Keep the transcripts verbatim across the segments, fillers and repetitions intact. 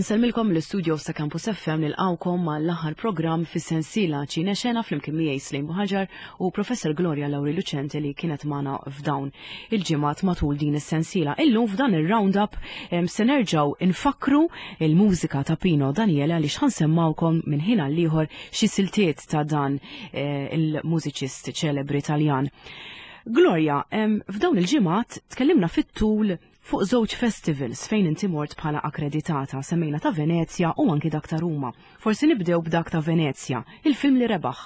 Insellmilkom l-studio sa' Campus F M, nilqgħukom mal-aħħar programm fis-sensiela Ċinexena flimkien miegħi Slim Buhagiar u Professor Gloria Lauri Lucente li kienet magħna f'dawn il-ġimgħat matul din is-sensiela. Illum f'dan ir-roundup se nerġgħu infakru il-mużika ta' Pino Daniele, għaliex ħa nsemmgħukom minn ħin għal ieħor xi siltiet ta' dan eh, il-mużiċist ċelebri Taljan. Gloria, f'dawn il-ġimgħat tkellimna fit-tul fuq żewġ festivals fejn inti mort bħala akkreditata, semmejna ta' Venezia u anki dak ta' Ruma. Forsi nibdew b'dak ta' Venezia, il-film li rebaħ.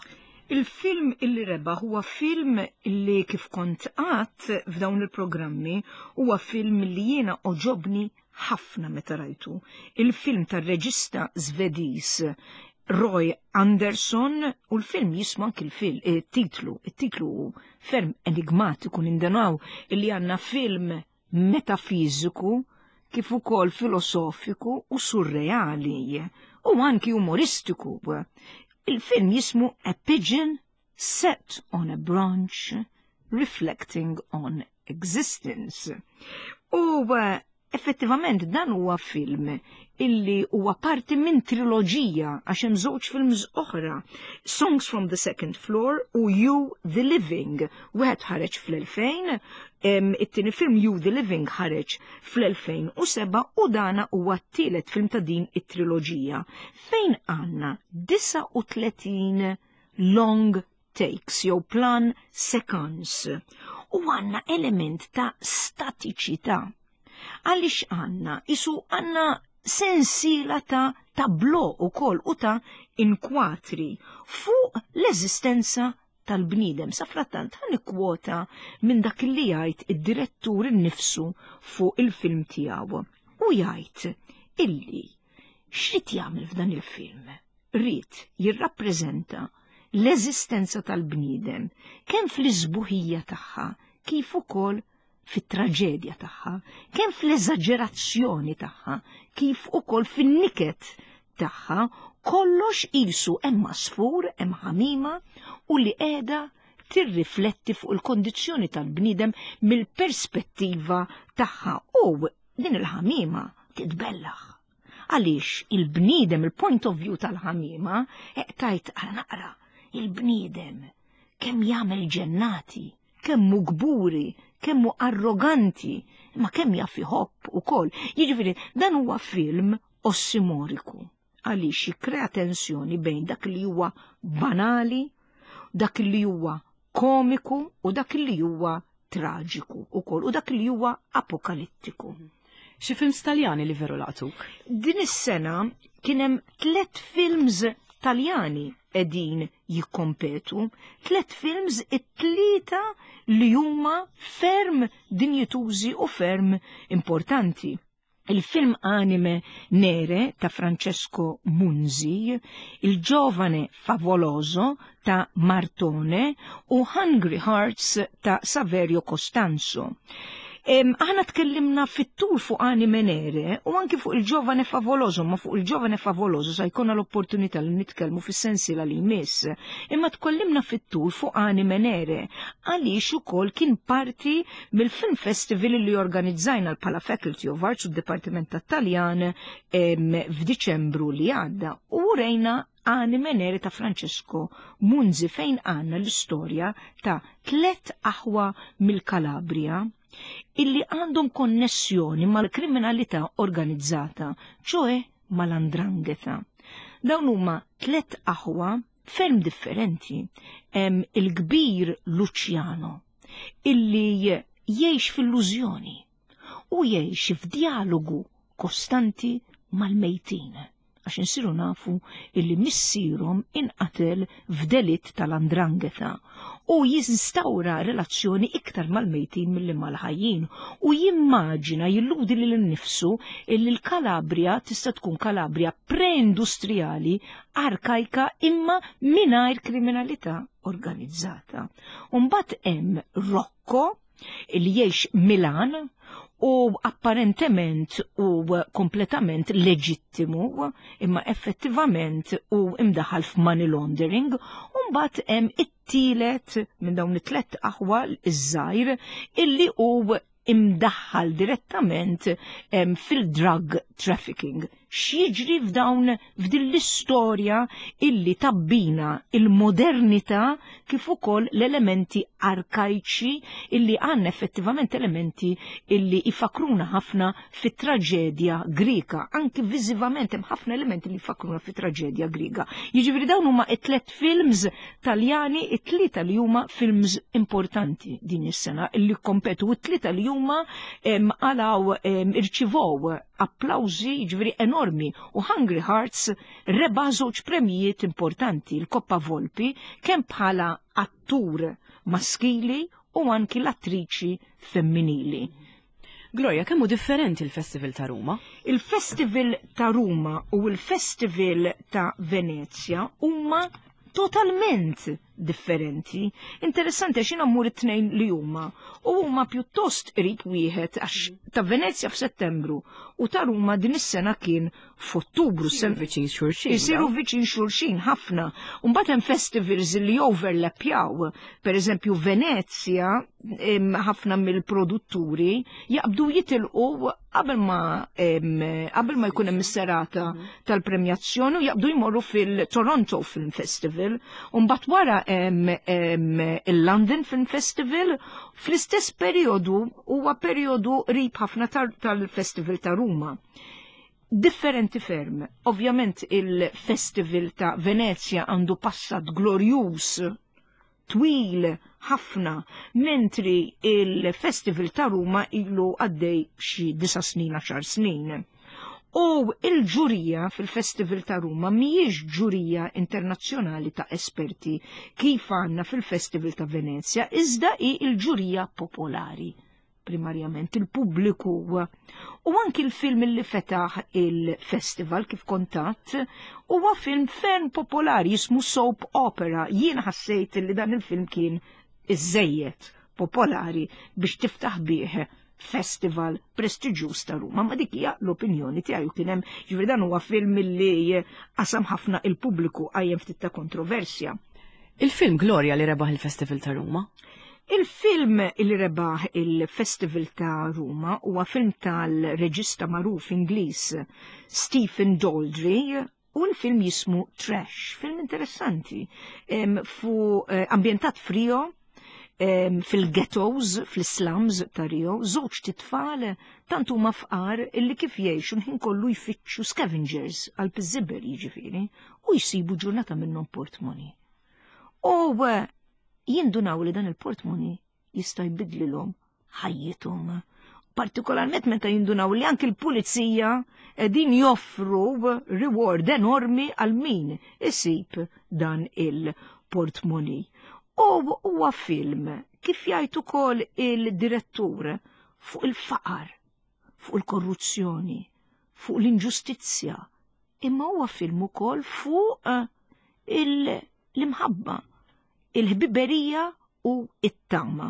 Il-film illi rebaħ huwa film illi, kif kont għedt f'dawn il-programmi, huwa film li jiena għoġobni ħafna meta rajtu. Il-film tar-reġista Svediż Roy Andersson u l-film jismu, anki l-film, il-titlu, il-titlu ferm enigmatiku, nindunaw illi għandna film metafiziku kif ukoll filosofiku u surreali u anki umoristiku. Il-film jismu A Pigeon Set on a Branch Reflecting on Existence. U eh, effettivament dan huwa film illi huwa parti minn triloġija, għax hemm żewġ films oħra, Songs from the Second Floor u You the Living. Wieħed ħareġ fl-elfejn, it-tieni film You the Living ħareġ fl-elfejn u sebgħa u dana huwa t-tielet film ta' din it-triloġija fejn għandna disgħa u tletin long takes jew plan séquence u għandna element ta' statiċità. Għaliex għandna, isu għandna sensiela ta' tableaux u koll u ta' inkwatri fuq l-eżistenza tal-bniedem. Sa frattant ħa nikkwota minn dak li jgħid id-direttur innifsu fuq il-film tiegħu. U jgħid illi x'rid jagħmel f'dan il-film? Ried jirrappreżenta l-eżistenza tal-bniedem kemm fl-isbuħija tagħha kif ukoll fit-traġedja tagħha, kemm fl-eżaġerazzjoni tagħha, kif ukoll fin-niket tagħha, kollox qisu hemm għasfur, hemm ħamima u li qiegħda tirrifletti fuq il-kondizzjoni tal-bniedem mill-perspettiva tagħha, u din il-ħamima titbellaħ. Għaliex il-bniedem, il-point of view tal-ħamima, tgħid għal naqra, il-bniedem kemm jagħmel ġennati, kemm hu kburi, kemm hu arroganti, ma kemm jaf iħobb ukoll. Jiġifieri dan huwa film ossimoriku għaliex jikkrea tensjoni bejn dak li huwa banali, dak li huwa komiku u dak li huwa traġiku ukoll u dak li huwa apokalittiku. Xi films Taljani li veru laqtuk? Din is-sena kien hemm tliet films Taljani qegħdin jikkompetu, tliet films, it-tlieta li huma ferm dinjitużi u ferm importanti. Il-film Anime Nere ta' Francesco Munzi, Il Giovane Favoloso ta' Martone u Hungry Hearts ta' Saverio Costanzo. Aħna tkellimna fit-tul fuq Anime Nere u anki fuq Il Giovane Favoloso, ma fuq Il Giovane Favoloso sa jkollna l-opportunità li nitkellmu fis-sensiela li jmiss. Imma tkellimna fit-tul fuq Anime Nere għaliex ukoll kien parti mill-Film Festival li organizzajna bħala Faculty of Arts u d-Dipartiment tat-Taljan f'Diċembru li għadda u rejna Anime Nere ta' Francesco Munzi, fejn għandna l-istorja ta' tlet aħwa mill-Kalabria illi għandhom konnessjoni mal-kriminalità organizzata, ċoè mal-'Ndrangheta. Dawn huma tlet aħwa ferm differenti. Hemm il-kbir Luciano illi jgħix fil-illużjoni u jgħix f'dialogu kostanti mal-mejtin, għax insiru nafu illi missierhom inqatel f'delitt tal-'Ndrangheta u jinstawra relazzjoni iktar mal-mejtin milli mal-ħajjin u jimmaġina, jilludi lil nifsu illi l-Kalabria tista' tkun Kalabria pre-industrijali arkajka imma mingħajr kriminalità organizzata. Umbagħad hemm Rocco illi jgħix Milan u apparentement u kompletament leġittimu, imma effettivament u imdaħal f'money laundering, u mbagħad hemm it-tielet minn dawn it-tlet aħwa, iż-żgħir, illi hu imdaħħal direttament fil-drug trafficking. X'jiġri f'dawn f'din l-istorja illi tabbina il-modernità kif ukoll l-elementi arkajċi illi għandna effettivament elementi illi ifakruna ħafna fit-traġedja Grika. Anki viżivament hemm ħafna elementi li jfakruna fit-traġedja Grika. Jiġifieri dawn huma it-tliet films Taljani, it-tlieta li huma films importanti din is-sena illi kompetu, it-tlieta li huma għalaw irċivow applawżi jiġifieri enormi, u Hungry Hearts rebaħ żewġ premijiet importanti, il-Coppa Volpi, kemm bħala attur maskili u anki l-attriċi femminili. Gloria, kemm hu differenti il-Festival ta' Ruma? Il-Festival ta' Ruma u il-Festival ta' Venezia huma totalment differenti. Interessanti għax jiena mmur it-tnejn li huma u huma pjuttost qrib wieħed, għax ta' Venezia f'Settembru u ta' Ruma din is-sena kien f'Ottubru. Isiru viċin xulxin. Isiru viċin xulxin ħafna. U mbagħad hemm festivals li overlapjaw. Per eżempju Venezia, ħafna mill-produtturi jaqbdu jitilqu qabel ma qabel ma jkun hemm is-serata tal-premjazzjoni u jaqbdu jmorru fil-Toronto Film Festival. U mbagħad wara il-London Film Festival fl-istess periodu, huwa periodu qrib ħafna tal-Festival ta' Ruma. Differenti ferm. Ovvjament il-Festival ta' Venezia għandu passat glorjuż, twil ħafna, mentri il-Festival ta' Ruma ilu għaddej xi disa' snin, għaxar snin. U il-ġurija fil-Festival ta' Ruma mhijiex ġurija internazzjonali ta' esperti kif għandna fil-Festival ta' Venezia, iżda hi il-ġurija popolari, primarjament il-pubbliku. U anki il-film li fetaħ il-festival kif kontat huwa film ferm popolari jismu Soap Opera. Jien ħassejt li dan il-film kien iżejjed popolari biex tiftaħ bih festival prestiġjuż ta' Ruma, ma dik hija l-opinjoni tiegħi. Kien hemm, ġifieri dan huwa film li qasam ħafna il-pubbliku, qajjem ftit ta' kontroversja. Il-film Gloria li rebaħ il-Festival ta' Ruma? Il-film li rebaħ il-Festival ta' Ruma huwa film tal-reġista magħruf Ingliż Stephen Daldry, u l-film jismu Trash, film interessanti, fu ambjentat f'Rio, fil-ghettos, fil-slums ta' Rio, żewġ titfal tant huma fqar illi kif jgħixu l-ħin kollu jfittxu scavengers għal piżiber jiġifieri, u jsibu ġurnata minnhom portmoni. U jindunaw li dan il-portmoni jista' jbidlilhom ħajjithom. Partikolarment meta jindunaw li anki l-pulizija qegħdin joffru reward enormi għal min isib dan il-portmoni. U huwa film, kif jgħid ukoll il-direttur, fuq il-faqar, fuq il-korruzzjoni, fuq l-inġustizzja, imma huwa film ukoll fuq l-imħabba, il-ħbiberija u it-tama.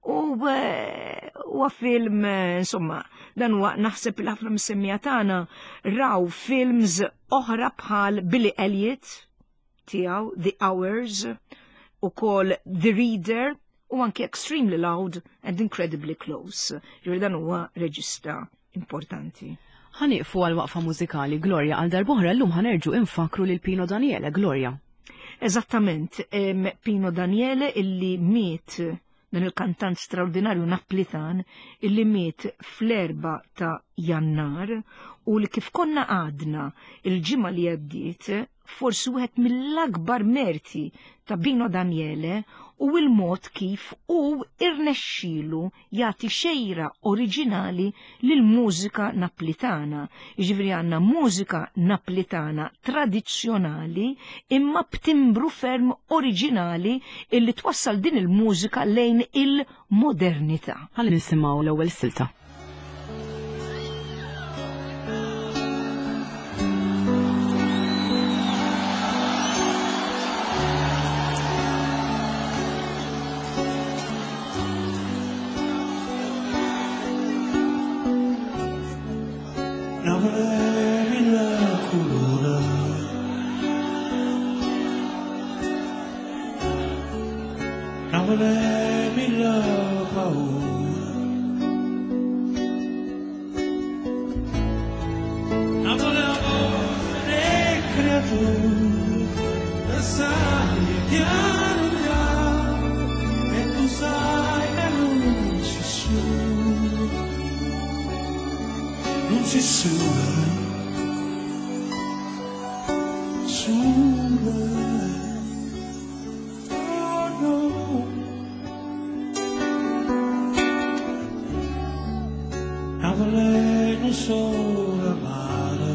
U huwa film, insomma, dan huwa naħseb il ħafna mis-semmija tagħna raw films oħra bħal Billy Elliot tiegħu, The Hours, u kol The Reader, u anki Extremely Loud and Incredibly Close. Ġifieri dan huwa reġista importanti. Ħanieqfu għal waqfa mużikali, Gloria, għal darb'oħra llum ħanerġu infakru lil Pino Daniele, Gloria. Eżattament, Pino Daniele illi miet, dan il-kantant straordinarju Naplitan, illi miet fl-erba ta' Jannar, u li kif konna għadna il-ġimgħa li għaddiet, forsi wieħed mill-akbar merti ta' Pino Daniele u il-mod kif u irnexxielu jagħti xejra oriġinali lil mużika naplitana. Jiġifieri għandna mużika naplitana tradizzjonali imma b'timbru ferm oriġinali illi twassal din il-mużika lejn il-modernità. Ħalli nisimgħu l-ewwel silta. Napoli, che tu sai piano piano e tu sai che non ci sono, non ci sono, sono. Oh no. Napoli non solo mare,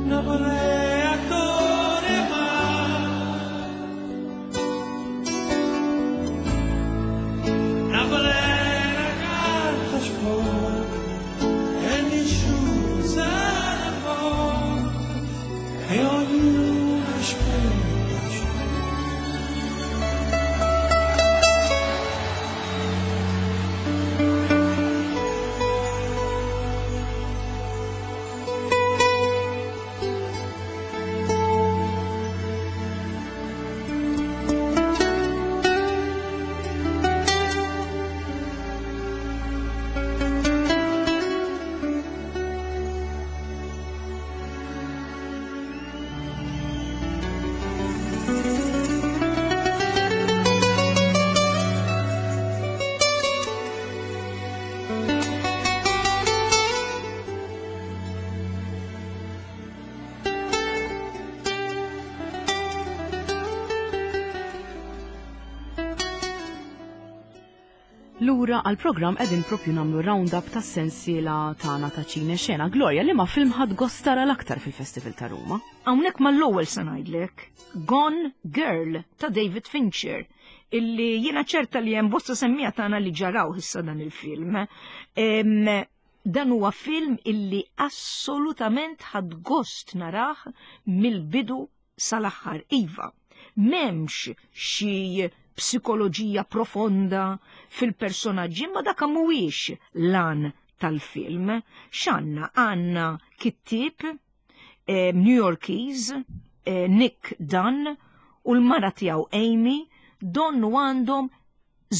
Napoli ancora mare, Napoli la carta sporca e nessuno se ne va e ognuno spera. Lura għal-program qegħdin propju nagħmlu round-up tas-sensiela tagħna ta' ċine xena. Gloria, li ma film ħadd gost tara l-aktar fil-Festival ta' Ruma? Hawnhekk mal-ewwel se ngħidlek Gone Girl ta' David Fincher, illi jiena ċerta li hemm bosta semmija tagħna li ġaraw issa dan il-film. Em, dan huwa film illi assolutament ħadd gost narah mill-bidu sal-aħħar. Iva, m'hemmx xi psikoloġija profonda fil-personaġġi, ma dak mhuwiex lan tal-film. X'għandna? Għandna kittieb eh, New Yorkies, eh, Nick Dunn, u l-mara tiegħu Amy, donnu għandhom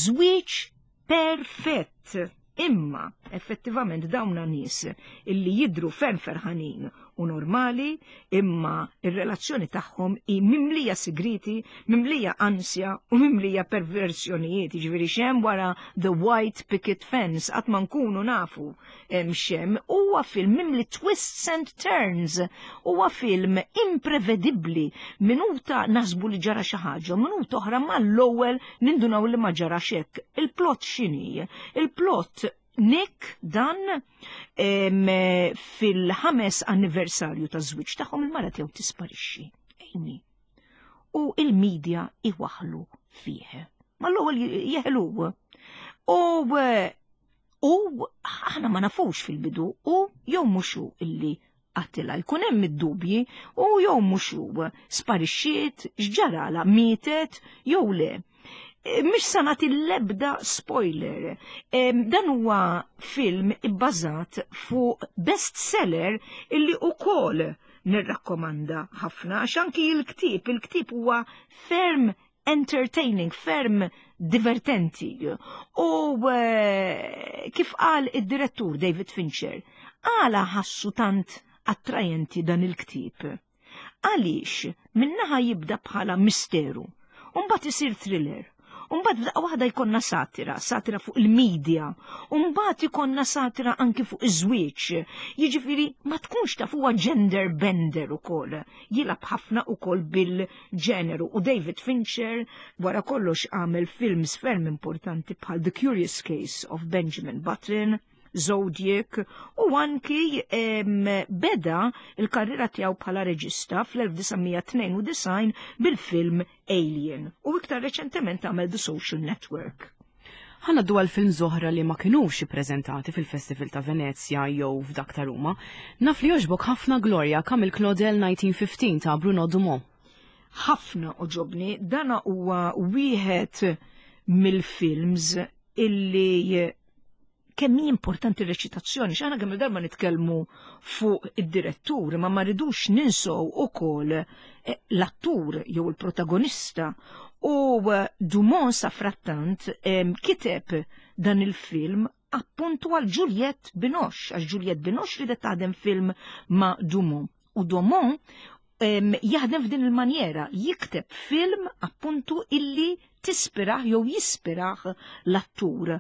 żwieġ perfett. Imma effettivament dawna nies illi jidru ferm ferħanin u normali, imma ir-relazzjoni tagħhom hi mimlija sigriti, mimlija ansja u mimlija perversjonijiet. Jiġifieri xem wara The White Picket Fence qatt ma nkunu nafu xem. Huwa film mimli twists and turns, huwa film imprevedibbli. Minuta nasbu li ġara xi ħaġa, minuta oħra mal-ewwel nindunaw li ma ġarax hekk. Il-plot x'inhi? Il-plot Nick Dunn fil-ħames anniversarju ta' żwieġ tagħhom il-mara tiegħu tisparixxi, Amy. U il-medja iwaħlu fih. Mal-ewwel jeħlu. U u aħna ma nafux fil-bidu u jew mhux hu illi qatilha, jkun hemm id-dubji u jew mhux hu sparixxiet, x'ġarala, mietet jew le. Mhix se nagħti l-ebda spoiler. Dan huwa film ibbażat fuq bestseller illi ukoll nirrakkomanda ħafna, għax anki il-ktieb, il-ktieb huwa ferm entertaining, ferm divertenti. U kif qal id-direttur David Fincher, għala ħassu tant attrajenti dan il-ktieb? Għaliex minnaħa jibda bħala misteru, u mbagħad isir thriller. Umbagħad f'daqqa waħda jkollna satira, satira fuq il-medja, umbagħad ikollna satira anki fuq iż-żwieġ. Jiġifieri ma tkunx taf huwa gender bender ukoll. Jilgħab ħafna ukoll bil-ġeneru. U David Fincher wara kollox għamel films ferm importanti bħal The Curious Case of Benjamin Button, Zodiac, u anki em, beda il-karriera tiegħu bħala reġista fl-elf disa' mija tnejn u disgħin bil-film Alien, u iktar reċentement għamel The Social Network. Ħa ngħaddu għal film oħra li ma kinux ippreżentati fil-Festival ta' Venezja jew f'dak ta' Ruma. Naf li jogħġbok ħafna Gloria, Camille Claudel nineteen fifteen ta' Bruno Dumont. Ħafna oġobni, dana huwa wieħed mill-films illi kemm hi importanti r-reċitazzjoni, x'aħna kemm darba nitkellmu fuq id-direttur, ma ma rridux ninsow ukoll, eh, l-attur jew il-protagonista. U, eh, Dumont sa frattant, em, kiteb dan il-film appuntu għal Juliette Binoche, għax Juliette Binoche ridet taħdem film ma' Dumont. U Dumont jaħdem f'din il-manjera, jikteb film appuntu illi tispiraħ jew jispiraħ l-attur.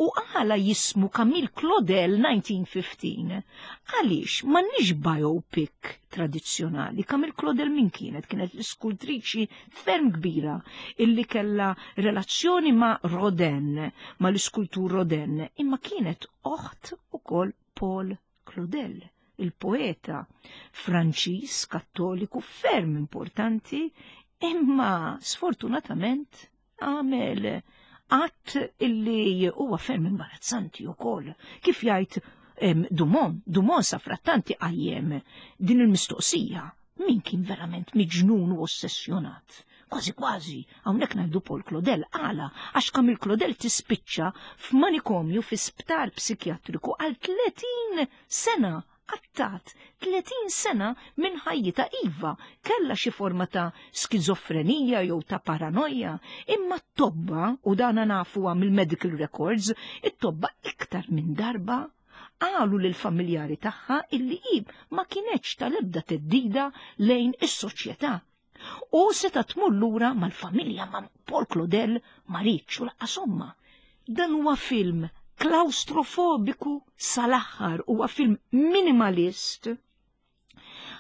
U għala jismu Camille Claudel nineteen fifteen? Għaliex m'għandniex biopic tradizzjonali. Camille Claudel min kienet? Kienet skultriċi ferm kbira illi kella relazzjoni ma' Rodin, ma' l-iskultur Rodin, imma kienet oħt ukoll Paul Claudel, il-poeta Franċiż kattoliku ferm importanti, imma sfortunatament għamel att illi huwa ferm imbarazzanti wkoll. Kif jgħid Dumont, Dumont sa frattanti qajjem din il-mistoqsija, min kien verament miġnun u ossessjonat? Kważi kważi, hawnhekk ngħidu Paul Claudel, għala, għax Camille Claudel tispiċċa f'manikomju fi sptar psikjatriku għal tletin sena. Għattat tletin sena minn ħajjita. Iva, kella xi forma ta' skizofrenija jew ta' paranoja, imma t-tobba, u dana nafuha mill-medical records, it-tobba iktar minn darba qalu lil familjari tagħha illi hi ma kienetx tal-ebda teddida lejn is-soċjetà. U seta tmur lura mal-familja ma' Paul Claudel ma riedx u lanqas omma. Dan huwa film klaustrofobiku sal-aħħar, huwa film minimalist.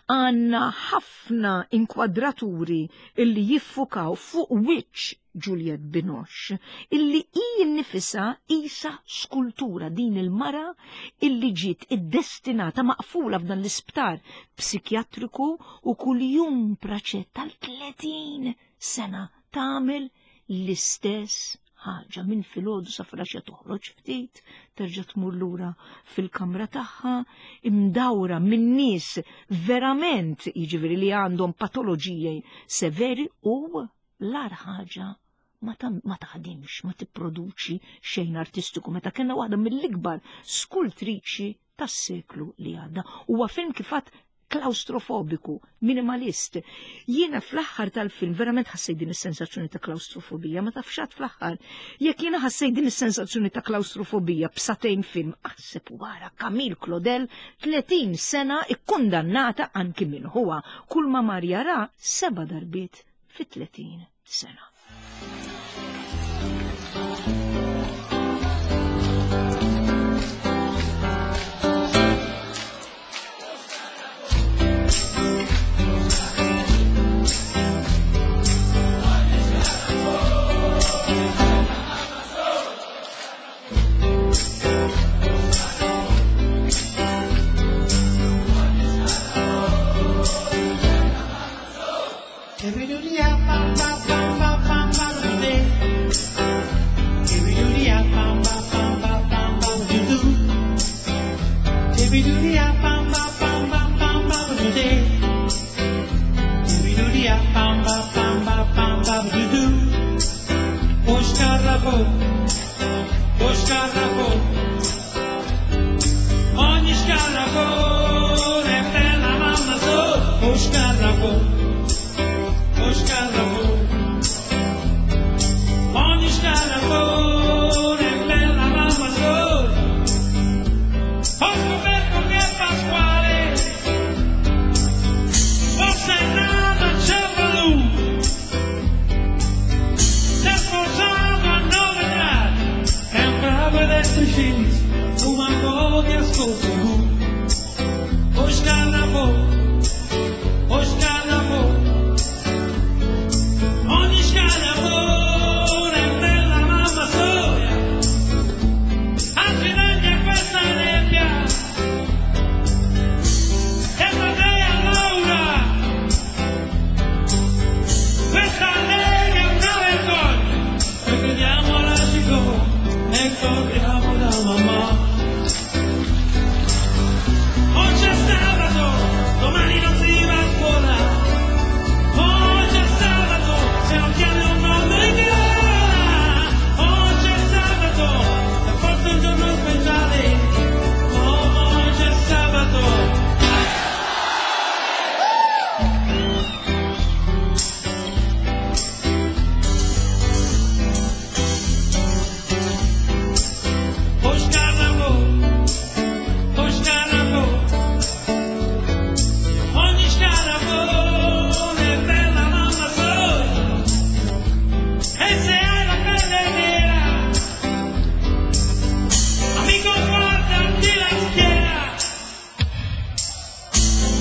Għanna ħafna inkwadraturi illi jiffukaw fuq wiċċ Juliette Binoche, illi hi nnifisha isa skultura, din il-mara illi ġiet iddestinata maqfula f'dan l-isptar psikjatriku u kuljum praċett tal-tletin sena tagħmel l-istess ħaġa minn filgħodu sa filgħaxija, toħroġ ftit, terġa' tmur lura fil-kamra tagħha, imdawra minn nies verament jiġifieri li għandhom patoloġiji severi, u l-agħar ħaġa ma taħdimx, ma tipproduċi xejn artistiku, meta kellna waħda mill-ikbar skultriċi tas-seklu li għadda. Huwa film kif għadt klaustrofobiku, minimalist. Jiena fl-aħħar tal-film verament ħassejt din is-sensazzjoni ta' klaustrofobija, ma tafxat fl-aħħar. Jekk jiena ħassejt din is-sensazzjoni ta' klaustrofobija b'satejn film, aħseb wara Camille Claudel tletin sena ikkundannata anki minn huwa kull ma mar jara seba' darbiet fi tletin sena. Ba ba ba ba.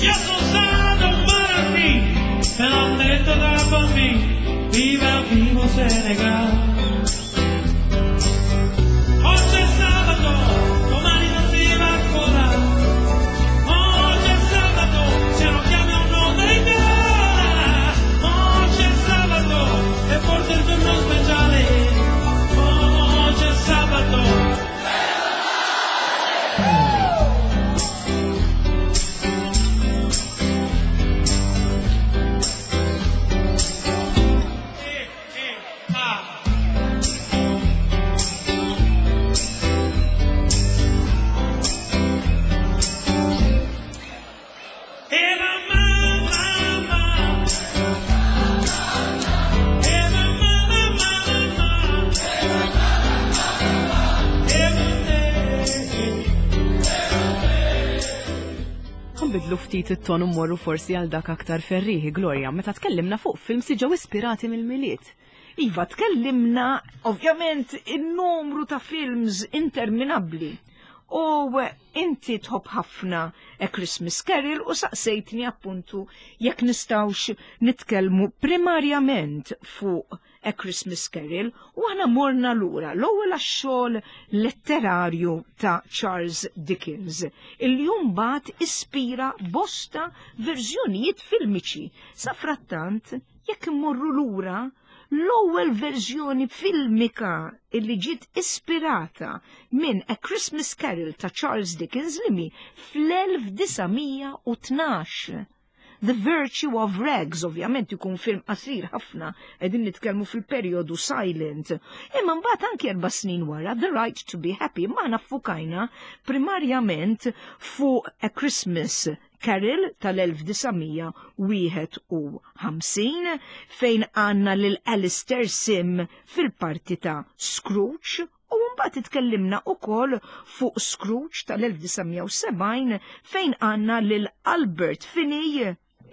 Io sono stato un bambino e l'ho detto da bambino, viva vivo Senegal. Oggi è sabato, domani non si va ancora. Oggi è sabato, se non chiami un nome in gola. Oggi è sabato, e forse il giorno speciale. Oggi è sabato. Nbidlu ftit it-ton u mmorru forsi għal dak aktar ferrieħi, Gloria, meta tkellimna fuq films li ġew ispirati mill-Milied. Iva, tkellimna ovvjament in-numru ta' films interminabbli. U inti tħobb ħafna A Christmas Carol u saqsejtni appuntu jekk nistgħux nitkellmu primarjament fuq A Christmas Carol u aħna morna lura l-ewwel għax-xogħol letterarju ta' Charles Dickens illi mbagħad ispira bosta verżjonijiet filmiċi. Sa frattant, jekk immorru lura, l-ewwel verżjoni filmika illi ġiet ispirata minn A Christmas Carol ta' Charles Dickens li mi fl-elf disa' mija u tnax. The Virtue of Rags, ovvjament ikun film qasir ħafna, qegħdin nitkellmu fil-perjodu silent. Imma mbagħad anki erba' snin wara The Right to be Happy, ma aħna ffukajna primarjament fuq A Christmas Carol tal-elf disa' mija wieħed u ħamsin fejn għandna lil Alistair Sim fil-parti ta' Scrooge. U mbagħad itkellimna wkoll fuq Scrooge tal-elf disa' mija u sebgħin fejn għandna lil Albert Finney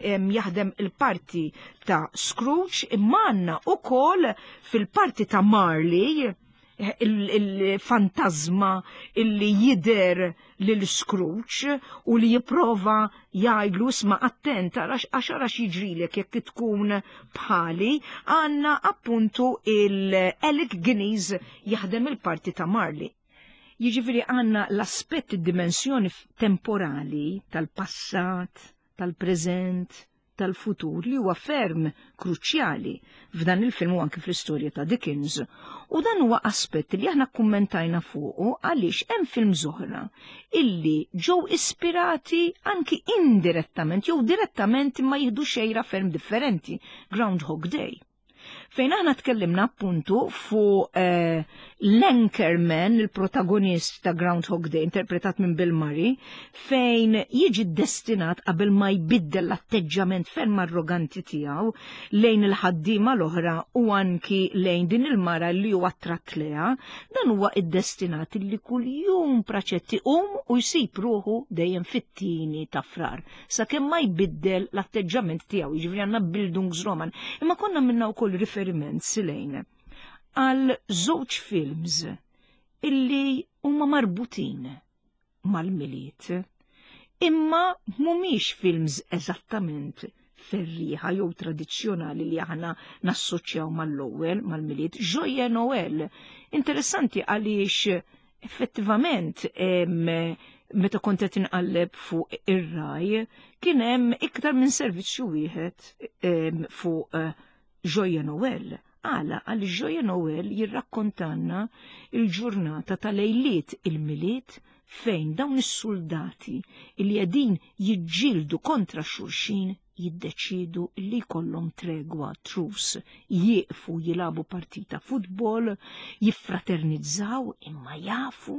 em, jaħdem il-parti ta' Scrooge, imma għandna wkoll fil-parti ta' Marley il-fantasma illi jider lil Scrooge u li jipprova jgħidlu isma' attent għax ara x'jiġrilek jekk tkun bħali, għandna appuntu il-Alec Guinness jaħdem il-parti ta' Marley. Jiġifieri għandna l-aspett id-dimensjoni temporali tal-passat, tal-preżent, tal-futur li huwa ferm kruċjali f'dan il-film u anke fl-istorja ta' Dickens. U dan huwa aspett li aħna kkummentajna fuqu għaliex hemm film oħra illi ġew ispirati anki indirettament jew direttament imma jieħdu xejra ferm differenti, Groundhog Day. Fejn aħna tkellimna appuntu fuq, eh, l-Anchorman, il-protagonist ta' Groundhog Day, interpretat minn Bill Murray, fejn jiġi destinat qabel ma jbiddel l-atteġġament ferm arroganti tiegħu lejn il-ħaddiema l-oħra u anki lejn din il-mara li huwa attratt lejha, dan huwa iddestinat li kuljum praċetti um u jsib ruħu dejjem fit-tieni ta' frar, sakemm ma jbiddel l-atteġġament tiegħu, jiġifieri għandna Bildungsroman. Imma konna minna wkoll riferiment silejn għal żewġ films illi huma marbutin mal-Milied, imma mhumiex films eżattament ferrieħa jew tradizzjonali li aħna nassoċjaw mal-ewwel mal-Milied. Joyeux Noël. Interessanti għaliex effettivament, em, meta kont qed inqalleb fuq ir-Rai kien hemm iktar minn servizzu wieħed, em, fuq, eh, Joyeux Noël. Għala, għal Joyeux Noël jirrakkontanna il-ġurnata tal-lejliet il-Milied fejn dawn is-soldati li qegħdin jiġġieldu kontra xulxin jiddeċidu li jkollhom tregwa, truce, jieqfu jilagħbu partita futbol, jiffraternizzaw, imma jafu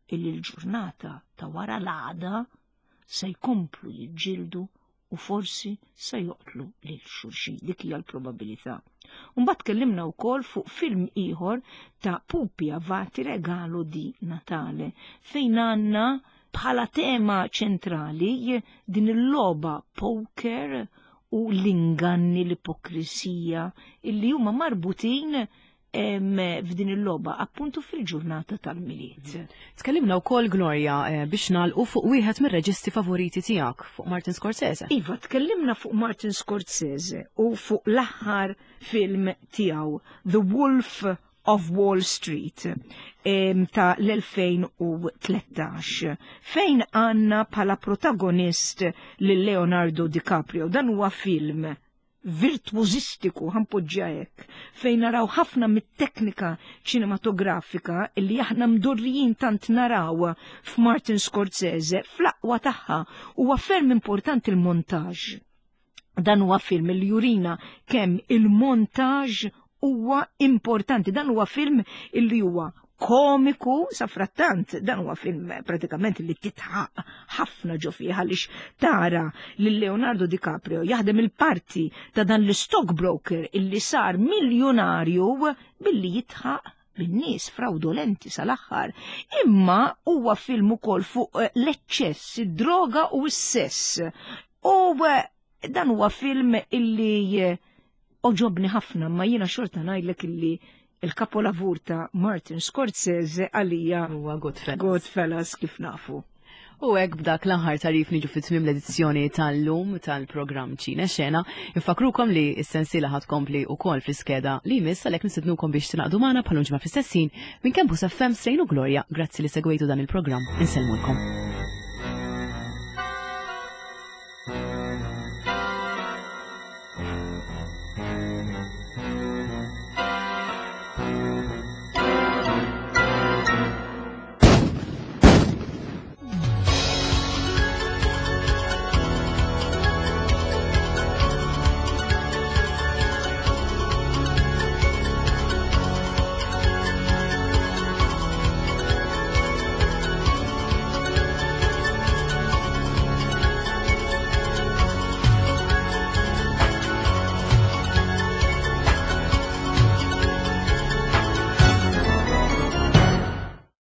illi l-ġurnata ta' wara l-għada se jkomplu jiġġieldu u forsi se joqtlu lil xulxin. Dik hija l-probabilità. Mbagħad tkellimna wkoll fuq film ieħor ta' Pupi Avati, Regalo di Natale, fejn għandna bħala tema ċentrali din il-logħba poker u l-inganni, l-ipokrisija illi huma marbutin F'din il-logħba appuntu fil-ġurnata tal-Milied. Tkellimna wkoll, Gloria, eh, biex nagħlqu, fuq wieħed mir-reġisti favoriti tiegħek, fuq Martin Scorsese. Iva, tkellimna fuq Martin Scorsese u fuq l-aħħar film tiegħu, The Wolf of Wall Street, ta' l-elfejn u tlettax, fejn għandna bħala protagonist lil Leonardo DiCaprio. Dan huwa film virtuozistiku, ħa npoġġiha hekk, fejn naraw ħafna mit-teknika ċinematografika illi aħna mdorrijin tant naraw f'Martin Scorsese fl-aqwa tagħha. Huwa ferm importanti il-montaġġ. Dan huwa film li jurina kemm il-montaġġ huwa importanti. Dan huwa film illi huwa komiku, safrattant, dan huwa film pratikament li titħaq ħafna ġo fih, għaliex tara lil Leonardo DiCaprio jaħdem il-parti ta' dan l-stockbroker illi sar miljonarju billi jidħaq bin-nies, fraudolenti sal-aħħar. Imma huwa film ukoll fuq l-eċċess, id-droga u s-sess. U eh, dan huwa film illi eh, għoġobni ħafna, ma jiena xorta ngħidlek illi il-kapolavur ta' Martin Scorsese għalija huwa Goodfellas. Goodfellas, kif nafu. U hekk, b'dak l-aħħar tarif, niġu fit tmiem l-edizzjoni tal-lum tal-programm Ċine Xena. Infakrukom li s-sensiela ħa tkompli wkoll fl-iskeda li jmiss, għalhekk nistednukom biex tingħaqdu magħna bħal ġimgħa fl-istess ħin minn Campus F M. Slane u Gloria. Grazzi li segwejtu dan il-programm. Insellmulkom.